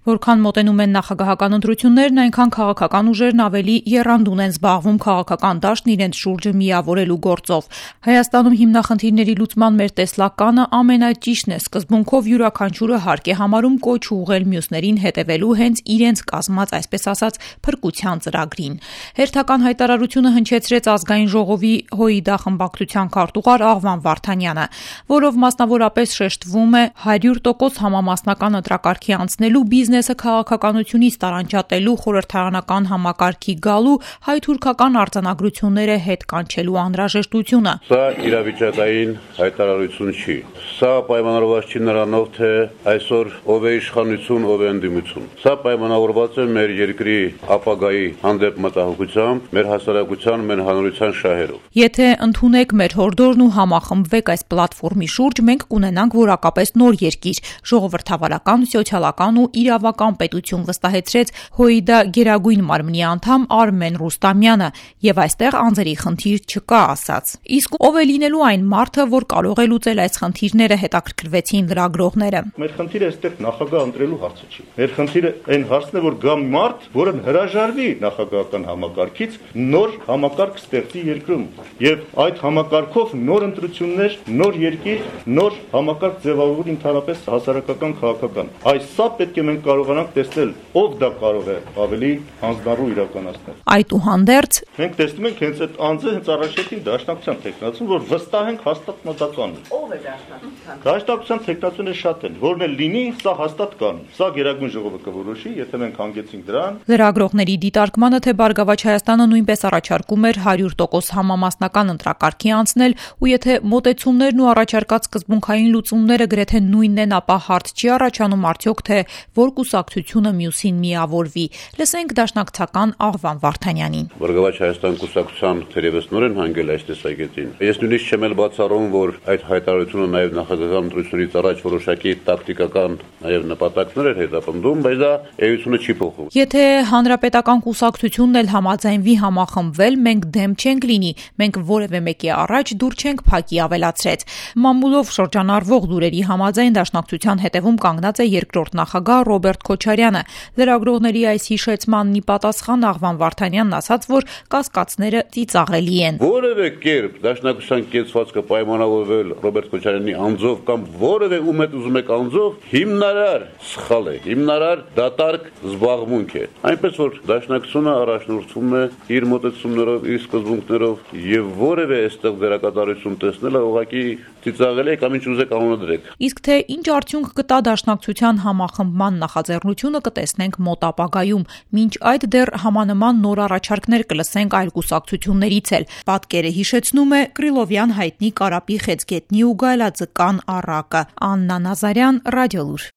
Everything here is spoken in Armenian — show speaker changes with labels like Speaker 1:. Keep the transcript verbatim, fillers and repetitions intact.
Speaker 1: Որքան մոտենում են նախագահական ընտրություններն, այնքան քաղաքական ուժերն ավելի եռանդուն են զբաղվում քաղաքական դաշտն իրենց շուրջը միավորելու գործով։ Հայաստանում հիմնախնդիրների լուծման մեր տեսլականը ամենաճիշտն է, սկզբունքով յուրաքանչյուրը հարկ է համարում կոչ ուղղել մյուսներին հետևելու հենց իրենց կազմած, այսպես ասած, փրկության ծրագրին։ Հերթական հայտարարությունը հնչեցրեց ազգային ժողովի ՀՅԴ խմբակցության քարտուղար Աղվան Վարդանյանը, որով մասնավորապես շեշտվում է հարյուր տոկոս համամասնական ընտրակարգի անցնելու բիզնեսը քաղաքականությունից տարանջատելու խորհրդարանական համակարգի գալու հայ-թուրքական արձանագրությունները հետ կանչելու անհրաժեշտությունը։
Speaker 2: Սա իրավիճակային հայտարարություն չի։ Սա պայմանավորված չի նրանով, թե այսօր ով է իշխանություն, ով է ընդդիմություն։ Սա պայմանավորված է մեր երկրի ապագայի հանդեպ մտահոգությամբ, մեր հասարակության, մեր հանրության շահերով։
Speaker 1: Եթե ընդունեք մեր հորդորն ու համախմբվեք այս պլատֆորմի շուրջ, մենք կունենանք որակապես նոր երկիր, ժողովրդավարական, սոցիալական ու իրավական պետություն, վստահեցրեց ՀՅԴ գերագույն մարմնի անդամ Արմեն Ռուստամյանը, եւ այստեղ անձերի խնդիր չկա, ասաց։ Իսկ ով է լինելու այն մարդը, որ կարող է լուծել այս խնդիրները, հետաքրքրվեցին լրագրողները։
Speaker 3: Մեր խնդիրը այստեղ նախագահ ընտրելու հարցը չի։ Մեր խնդիրը այն հարցն է, որ գա մարդ, որը հրաժարվի նախագահական համակարգից, նոր համակարգ ստեղծի երկրում, եւ այդ համակարգով նոր ընտրություններ, նոր երկիր, նոր համակարգ ձևավորվի ընդհանրապես հասարակական քաղաքական։ Այս սա պետք է մենք կարողանանք տեսնել, ով դա կարող է ավելի հանձնառու իրականացնել։
Speaker 1: Այդուհանդերձ
Speaker 3: մենք տեսնում ենք հենց այդ անձը հենց առաջին դաշնակցության տեխնացուն, որ վստահ ենք հաստատ մտական։
Speaker 4: Ով է դաշնակցության։
Speaker 3: Դաշնակցության տեխնացունը շատ են, որն էլ լինի, սա հաստատ կան։ Սա գերագույն ժողովը կորոշի, եթե մենք հանգեցինք դրան։
Speaker 1: Լրագրողների դիտարկմանը, թե Բարգավաճ Հայաստանը նույնպես առաջարկում էր հարյուր տոկոս համամասնական ընտրակարգի անցնել, ու եթե մոտեցումներն ու առաջարկած սկզբունքային լուծումները գրեթե նույնն են, ապա հարց չի առաջանում արդյոք, թե որ կուսակցությունը մյուսին միավորվի։ Լսենք դաշնակցական Աղվան Վարդանյանին։
Speaker 2: Բարգավաճ Հայաստան կուսակցության թերևս նոր են հանգել այս տեսակետին։ Ես նույնիսկ չեմ էլ բացառում, որ այդ հայտարարությունը նաև նախագահական ընտրությունից առաջ որոշակի տակտիկական նաև նպատակներ էր հետապնդում, բայց դա էությունը չի փոխում։
Speaker 1: Եթե հանրապետական կուսակցությունն էլ համաձայնվի համախմբվել, մենք դեմ չենք լինի, մենք որևէ մեկի առաջ դուր չենք փակի, ավելացրեց։ Մամուլով շրջանառվող լուրերի համաձայն դաշնակցության հետևում կանգնած է երկրորդ նախագահ Ռոբերտ Քոչարյանը։ Լրագրողների այս հիշեցմանն ի պատասխան Աղվան Վարդանյանն ասաց, որ կասկածները ծիծաղելի են։
Speaker 2: Որևէ կերպ դաշնակցության կեցվածքը պայմանավորվել Ռոբերտ Քոչարյանի անձով կամ որևէ ում հետ ուզում եք անձով հիմնարար սխալ է, հիմնարար դատարկ զբաղմունք է։ Այնպես որ դաշնակցությունը առաջնորդվում է իր մոտեցումներով, իր սկզբունքներով եւ որևէ այստեղ դերակատարություն տեսնելը ուղղակի ծիծաղելի է կամ ինչ ուզեք անունադրեք։
Speaker 1: Իսկ թե ինչ արդյունք կտա դաշնակցության համախմբման նախաձեռնությունը, կտեսնենք մոտ ապագայում։ Մինչ այդ դեռ համանման նոր առաջարկներ կլսենք այլ կուսակցություններից էլ։ Պատկերը հիշեցնում է Կրիլովյան հայտնի Կարապի խեցգետնի ու գայլաձկան առակը։ Աննա Նազարյան, Ռադիոլուր։